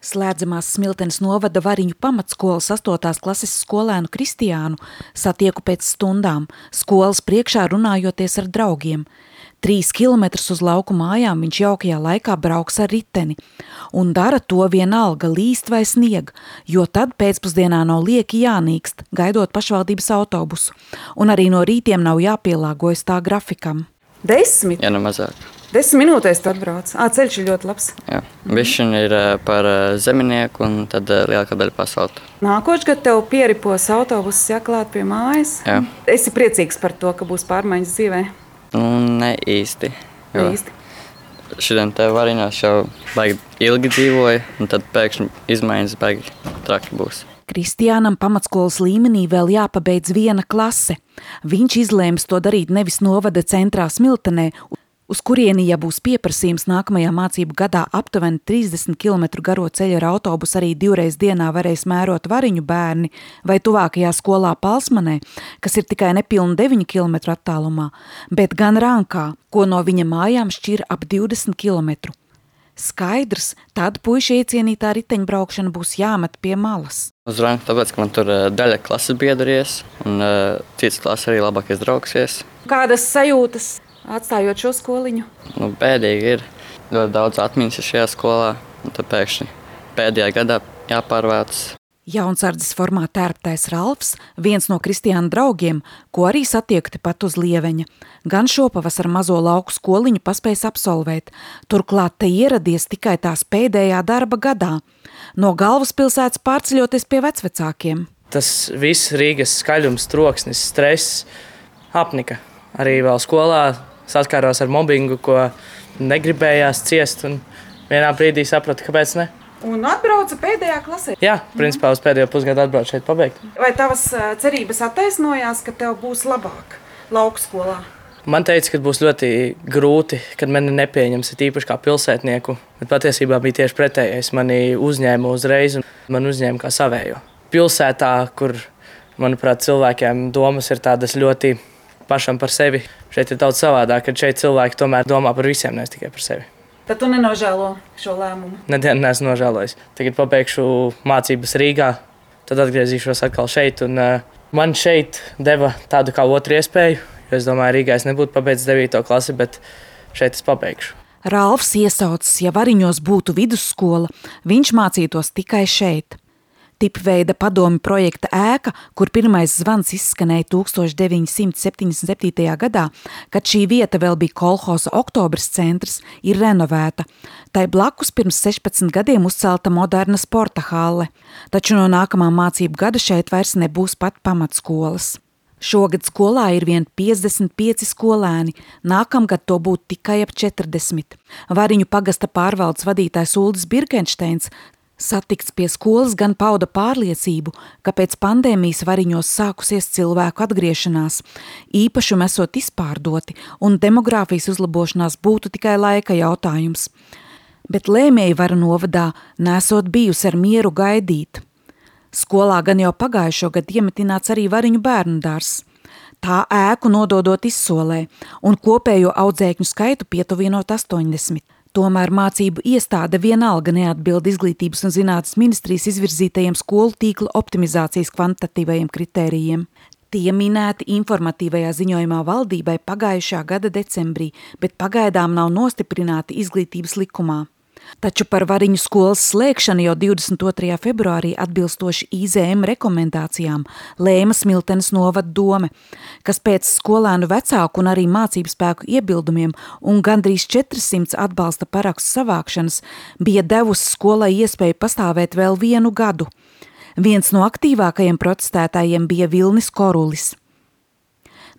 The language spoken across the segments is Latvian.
Slēdzamās Smiltenes novada Variņu pamatskolas 8. klases skolēnu Kristiānu satieku pēc stundām, skolas priekšā runājoties ar draugiem. 3 kilometrus uz lauku mājām viņš jaukajā laikā brauks ar riteni. Un dara to vienalga, līst vai snieg, jo tad pēcpusdienā nav lieki jānīkst, gaidot pašvaldības autobusu. Un arī no rītiem nav jāpielāgojas tā grafikam. 10? Ja ne mazāk. 10 minūtēs tu atbrauc. Ceļš ir ļoti labs. Jā. Višķiņi ir par zeminieku un tad lielākā daļa pa asfaltu. Nākošais gads tev pieripos autobuss jāklāt pie mājas. Jā. Esi priecīgs par to, ka būs pārmaiņas dzīvē? Ne īsti. Jo Īsti. šodien te Variņos jau baigi ilgi dzīvoja, un tad pēkšņi izmaiņas baigi traki būs. Kristiānam pamatskolas līmenī vēl jāpabeidz 1 klase. Viņš izlēms to darīt nevis novada centrā Smiltenē, uz kurieni, ja būs pieprasījums nākamajā mācību gadā aptuveni 30 km garo ceļu ar autobusu arī 2 reiz dienā varēs mērot Variņu bērni, vai tuvākajā skolā Palsmanē, kas ir tikai nepilni 9 km attālumā, bet gan Rankā, ko no viņa mājām šķir ap 20 km. Skaidrs, tad puiši iecienītā riteņbraukšana būs jāmet pie malas. Uz Ranku tāpēc, ka man tur daļa klases biedries, un cits klases arī labākais draugs. Kādas sajūtas atstājot šo skoliņu? Bēdīgi ir. Ļoti daudz atmiņas šajā skolā, un tad pēkšņi pēdējā gadā jāpārvāc. Jaunsardzes formā tērptais Ralfs, viens no Kristiāna draugiem, ko arī satiekti pat uz Lieveņa. Gan šopavasar mazo lauku skoliņu paspējis absolvēt, turklāt te ieradies tikai tās pēdējā darba gadā. No galvaspilsētas pārceļoties pie vecvecākiem. Tas viss Rīgas skaļums, troksnis, stress apnika. Arī vēl skolā saskāros ar mobbingu, ko negribējās ciest, un vienā brīdī sapratu, kāpēc ne. Un atbrauca pēdējā klasē? Jā, principā uz pēdējo pusgadu atbrauc šeit pabeigt. Vai tavas cerības attaisnojās, ka tev būs labāk lauku skolā? Man teica, ka būs ļoti grūti, kad mani nepieņems, tīpaši kā pilsētnieku, bet patiesībā bija tieši pretējais. Mani uzņēma uzreiz un man uzņēma kā savējo. Pilsētā, kur, manuprāt, cilvēkiem domas ir tādas ļoti pašam par sevi, šeit ir daudz savādāk, kad šeit cilvēki tomēr domā par visiem, nevis tikai par sevi. Tad tu nenožēlo šo lēmumu? Nedienu neesmu nožēlojis. Tagad pabeigšu mācības Rīgā, tad atgriezīšos atkal šeit. Un, man šeit deva tādu kā otru iespēju, jo es domāju, Rīgā es nebūtu pabeidzis 9. klasi, bet šeit es pabeigšu. Ralfs iesaucis, ja Variņos būtu vidusskola, viņš mācītos tikai šeit. Tipveida padomju projekta ēka, kur pirmais zvans izskanēja 1977. gadā, kad šī vieta vēl bija kolhoza Oktobris centrs, ir renovēta. Tai blakus pirms 16 gadiem uzcelta moderna sporta halle, taču no nākamā mācību gada šeit vairs nebūs pat pamatskolas. Šogad skolā ir vien 55 skolēni, nākamgad to būtu tikai ap 40. Variņu pagasta pārvaldes vadītājs Uldis Birkensteins satikts pie skolas gan pauda pārliecību, ka pēc pandēmijas Variņos sākusies cilvēku atgriešanās, īpašumi esot izpārdoti un demogrāfijas uzlabošanās būtu tikai laika jautājums. Bet lēmēji vara novadā nesot bijusi ar mieru gaidīt. Skolā gan jau pagājušo gadu iemetināts arī Variņu bērnudārs. Tā ēku nododot izsolē un kopējo audzēkņu skaitu pietuvinot 80. Tomēr mācību iestāde vienalga neatbild Izglītības un zinātnes ministrijas izvirzītajiem skolu tīkla optimizācijas kvantitatīvajiem kritērijiem. Tie minēti informatīvajā ziņojumā valdībai pagājušā gada decembrī, bet pagaidām nav nostiprināti Izglītības likumā. Taču par Variņu skolas slēgšanu jau 22. februārī atbilstoši IZM rekomendācijām lēma Smiltenes novada dome, kas pēc skolēnu vecāku un arī mācību spēku iebildumiem un gandrīz 400 atbalsta parakstu savākšanas bija devusi skolai iespēju pastāvēt vēl 1 gadu. Viens no aktīvākajiem protestētājiem bija Vilnis Korulis.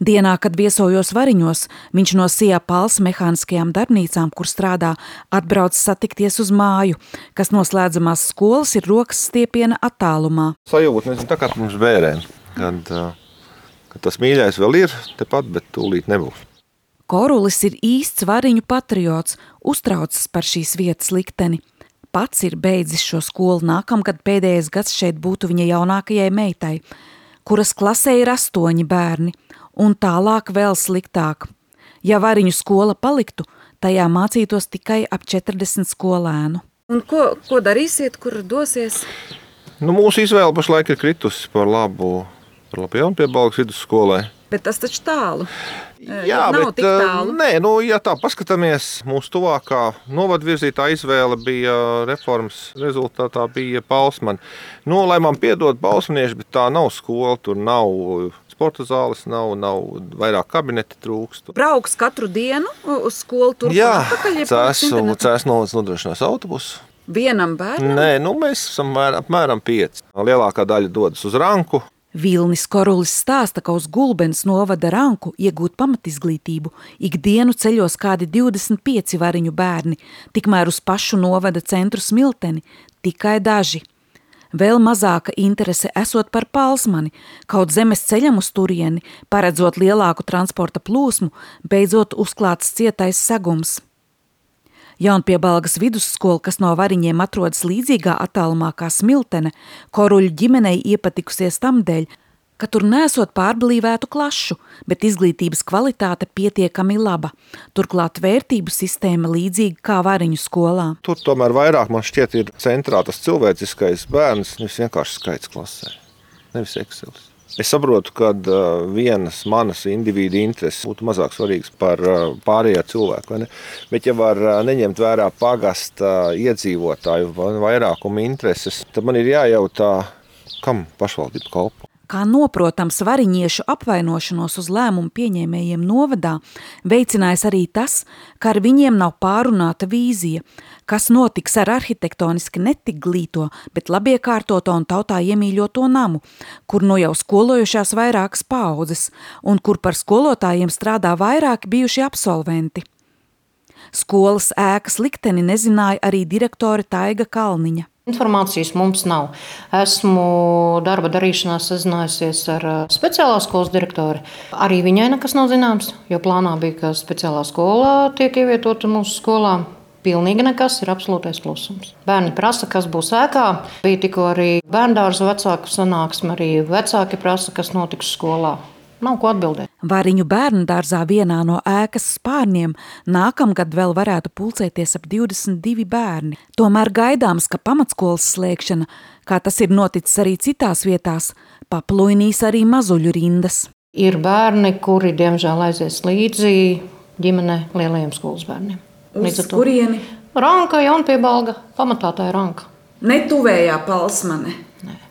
Dienā, kad viesojos Variņos, viņš no Sijā Pals mehāniskajām darbnīcām, kur strādā, atbrauc satikties uz māju, kas no slēdzamās skolas ir rokas stiepiena attālumā. Sajūta, nezinu, tā kā mums bērēm, kad tas mīļais vēl ir tepat, bet tūlīt nebūs. Korulis ir īsts Variņu patriots, uztraucas par šīs vietas likteni. Pats ir beidzis šo skolu, nākamgad pēdējais gads šeit būtu viņa jaunākajai meitai, kuras klasē ir 8 bērni. Un tālāk vēl sliktāk. Ja Variņu skola paliktu, tajā mācītos tikai ap 40 skolēnu. Un ko darīsiet, kur dosies? Nu, mūsu izvēle pašlaik ir kritusi par labu Jaunpiebalgas vidusskolai. Bet tas taču tālu. Jā, nav tik tālu. Nē, ja tā paskatāmies, mūsu tuvākā novadvirzītā izvēle bija reformas rezultātā bija Balsmani. Nu, lai man piedod balsmanieši, bet tā nav skola, tur nav sporta zāles, nav vairāk kabineti trūkst. Brauks katru dienu uz skolu tur? Jā, Cēsu novads nodrošinās autobusu. Vienam bērnam? Nē, mēs esam apmēram 5. Lielākā daļa dodas uz Ranku. Vilnis Korulis stāsta, ka uz Gulbenes novada Ranku iegūt pamatizglītību ikdienu ceļos kādi 25 variņu bērni, tikmēr uz pašu novada centru Smilteni tikai daži. Vēl mazāka interese esot par Palsmani, kaut zemes ceļam uz turieni, paredzot lielāku transporta plūsmu, beidzot uzklāts cietais segums. Jaunpiebalgas vidusskola, kas no variņiem atrodas līdzīgā attālumā kā Smiltene, Koruļu ģimenei iepatikusies tamdēļ, ka tur nesot pārblīvētu klašu, bet izglītības kvalitāte pietiekami laba. Turklāt vērtību sistēma līdzīga kā variņu skolā. Tur tomēr vairāk man šķiet ir centrā tas cilvēciskais bērns, nevis vienkārši skaits klasē, nevis Excelis. Es saprotu, ka vienas manas individu intereses būtu mazāk svarīgas par pārējā cilvēku, vai ne? Bet ja var neņemt vērā pagasta iedzīvotāju vairākumu intereses, tad man ir jājautā, kam pašvaldība kalpo. Kā noprotams variņiešu apvainošanos uz lēmumu pieņēmējiem novadā, veicinājis arī tas, ka ar viņiem nav pārunāta vīzija, kas notiks ar arhitektoniski netik glīto, bet labiekārtoto un tautā iemīļoto namu, kur nu jau skolojušās vairākas paaudzes un kur par skolotājiem strādā vairāki bijuši absolventi. Skolas ēkas likteni nezināja arī direktore Taiga Kalniņa. Informācijas mums nav. Esmu darba darīšanā sazinājusies ar speciālās skolas direktori. Arī viņai nekas nav zināms, jo plānā bija, ka speciālā skolā tiek ievietota mūsu skolā. Pilnīgi nekas, ir absolūtais klusums. Bērni prasa, kas būs ēkā. Bija tikko arī bērndārza vecāku sanāksme, arī vecāki prasa, kas notiks skolā. Nav ko atbildēt. Variņu bērndārzā vienā no ēkas spārniem nākamgad vēl varētu pulcēties ap 22 bērni. Tomēr gaidāms, ka pamatskolas slēgšana, kā tas ir noticis arī citās vietās, papluinīs arī mazuļu rindas. Ir bērni, kuri diemžēl aizies līdzi ģimene lielajiem skolas bērniem. Uz kurieni? Ranka, Jaunpiebalga, pamatā tā ir Ranka. Netuvējā Palsmane? Nē,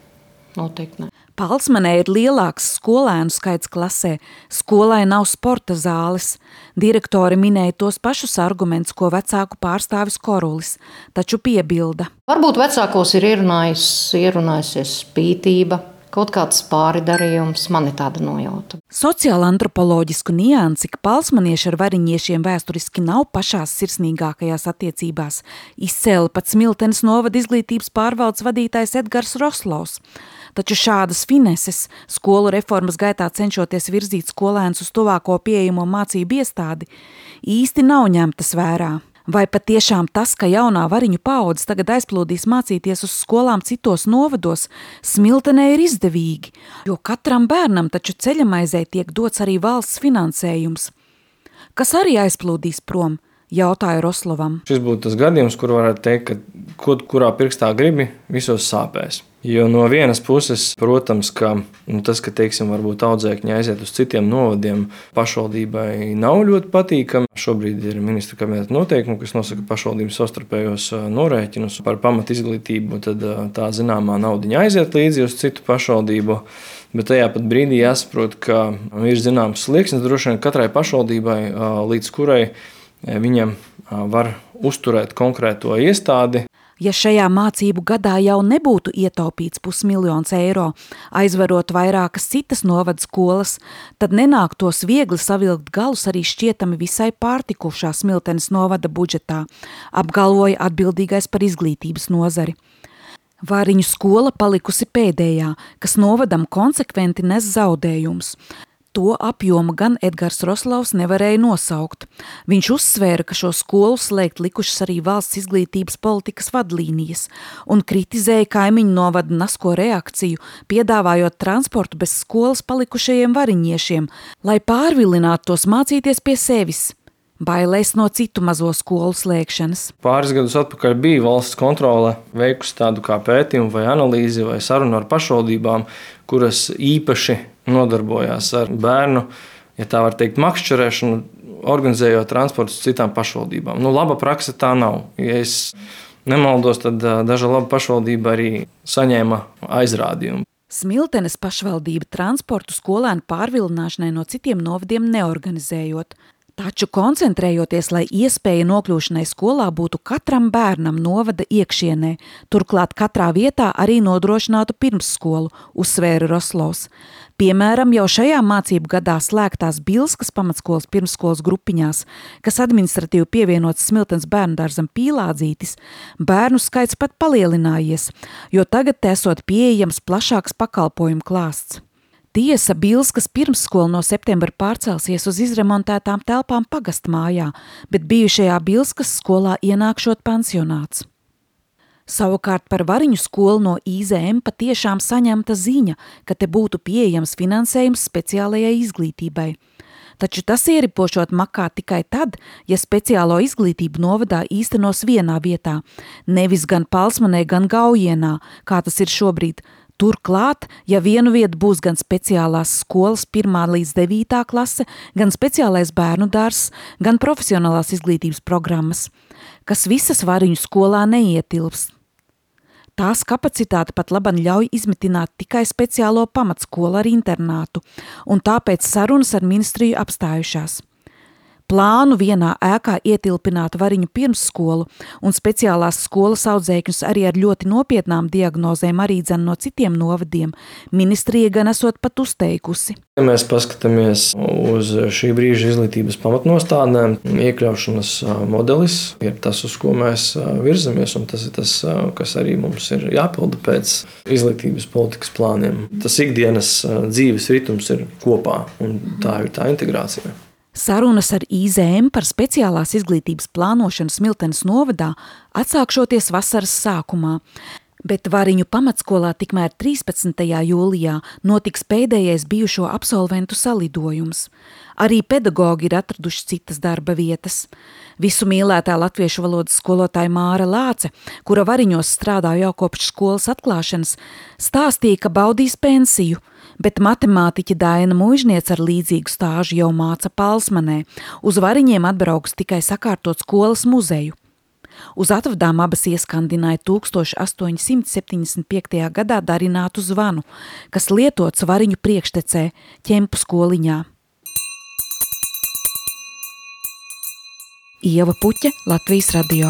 noteikti ne. Palsmanē ir lielāks skolēnu skaits klasē, skolai nav sporta zāles. Direktori minēja tos pašus argumentus, ko vecāku pārstāvis Korulis, taču piebilda. Varbūt vecākos ir ierunājusies spītība, kaut kāds pāridarījums, man ir tāda nojauta. Sociāla antropoloģisku niansi, ka palsmanieši ar variņiešiem vēsturiski nav pašās sirsnīgākajās attiecībās, izcēla pat Smiltenes novada izglītības pārvaldes vadītājs Edgars Roslovs. Taču šādas fineses, skolu reformas gaitā cenšoties virzīt skolēnus uz tuvāko pieejamo mācību iestādi, īsti nav ņemtas vērā. Vai patiešām tas, ka jaunā variņu paudze tagad aizplūdīs mācīties uz skolām citos novados, Smiltenē ir izdevīgi, jo katram bērnam taču ceļamaizē tiek dots arī valsts finansējums. Kas arī aizplūdīs prom? Jautāju Roslovam. Šis būtu tas gadījums, kur varētu teikt, ka kurā pirkstā gribi, visos sāpēs. Jo no vienas puses, protams, ka tas, ka varbūt audzēkņi aiziet uz citiem novadiem, pašvaldībai nav ļoti patīkami. Šobrīd ir ministru kabineta noteikumi, kas nosaka pašvaldības savstarpējos norēķinus par pamatizglītību, tad tā zināmā naudiņa aiziet līdzi uz citu pašvaldību. Bet tajā pat brīdī jāsaprot, ka ir zināms slieksnis droši vien katrai pašvaldībai, līdz kurai viņam var uzturēt konkrēto iestādi. Ja šajā mācību gadā jau nebūtu ietaupīts 500 000 eiro, aizvarot vairākas citas novada skolas, tad nenāktos viegli savilkt galus arī šķietami visai pārtikušā Smiltenes novada budžetā, apgalvoja atbildīgais par izglītības nozari. Variņu skola palikusi pēdējā, kas novadam konsekventi nes zaudējumus. To apjomu gan Edgars Roslovs nevarēja nosaukt. Viņš uzsvēra, ka šo skolu slēgt likušas arī valsts izglītības politikas vadlīnijas un kritizēja kaimiņu novada nasko reakciju, piedāvājot transportu bez skolas palikušajiem variņiešiem, lai pārvilinātu tos mācīties pie sevis. bailēs no citu mazo skolu slēgšanas. Pāris gadus atpakaļ bija valsts kontrole veikusi tādu kā pētījumu vai analīzi vai sarunu ar pašvaldībām, kuras īpaši nodarbojās ar bērnu, ja tā var teikt, makšķerēšanu, organizējot transportus citām pašvaldībām. Laba praksa tā nav. Ja es nemaldos, tad daža laba pašvaldība arī saņēma aizrādījumu. Smiltenes pašvaldība transportu skolēnu pārvilināšanai no citiem novadiem neorganizējot. Taču koncentrējoties, lai iespēja nokļūšanai skolā būtu katram bērnam novada iekšienē, turklāt katrā vietā arī nodrošinātu pirmsskolu, uzsvēra Roslovs. Piemēram, jau šajā mācību gadā slēgtās Bilskas pamatskolas pirmsskolas grupiņās, kas administratīvi pievienots Smiltenes bērnudārzam Pīlādzītis, bērnu skaits pat palielinājies, jo tagad esot pieejams plašāks pakalpojumu klāsts. Tiesa, Bilskas pirmsskola no septembra pārcelsies uz izremontētām telpām pagastmājā, bet bijušajā Bilskas skolā ienākšot pansionāts. Savukārt par Variņu skolu no IZM patiešām saņemta ziņa, ka te būtu pieejams finansējums speciālajai izglītībai. Taču tas ieripošot makā tikai tad, ja speciālo izglītību novadā īstenos vienā vietā, nevis gan Palsmanē, gan Gaujienā, kā tas ir šobrīd. Turklāt, ja vienu vietu būs gan speciālās skolas 1. līdz 9. klase, gan speciālais bērnu dārzs, gan profesionālās izglītības programmas, kas visas Variņu skolā neietilps. Tās kapacitāte pat laban ļauj izmitināt tikai speciālo pamatskolu ar internātu, un tāpēc sarunas ar ministriju apstājušās. Plānu vienā ēkā ietilpināt Variņu pirmsskolu un speciālās skolas audzēkņus arī ar ļoti nopietnām diagnozēm arī dzen no citiem novadiem, ministrija gan esot pat uzteikusi. Ja mēs paskatāmies uz šī brīža izglītības pamatnostādnēm, iekļaušanas modelis ir tas, uz ko mēs virzamies, un tas ir tas, kas arī mums ir jāpilda pēc izglītības politikas plāniem. Tas ikdienas dzīves ritms ir kopā, un tā ir tā integrācija. Sarunas ar IZM par speciālās izglītības plānošanu Smiltenes novadā atsākšoties vasaras sākumā, bet Variņu pamatskolā tikmēr 13. jūlijā notiks pēdējais bijušo absolventu salidojums. Arī pedagogi ir atraduši citas darba vietas. Visu mīlētā latviešu valodas skolotāja Māra Lāce, kura Variņos strādā jau kopš skolas atklāšanas, stāstīja, ka baudīs pensiju, bet matemātiķa Daina Muižniece ar līdzīgu stāžu jau māca Palsmanē. Uz Variņiem atbrauks tikai sakārtot skolas muzeju. Uz atvadām abas ieskandināja 1875. gadā darinātu zvanu, kas lietots Variņu priekštecē, Ķempu skoliņā. Ieva Puķe, Latvijas radio.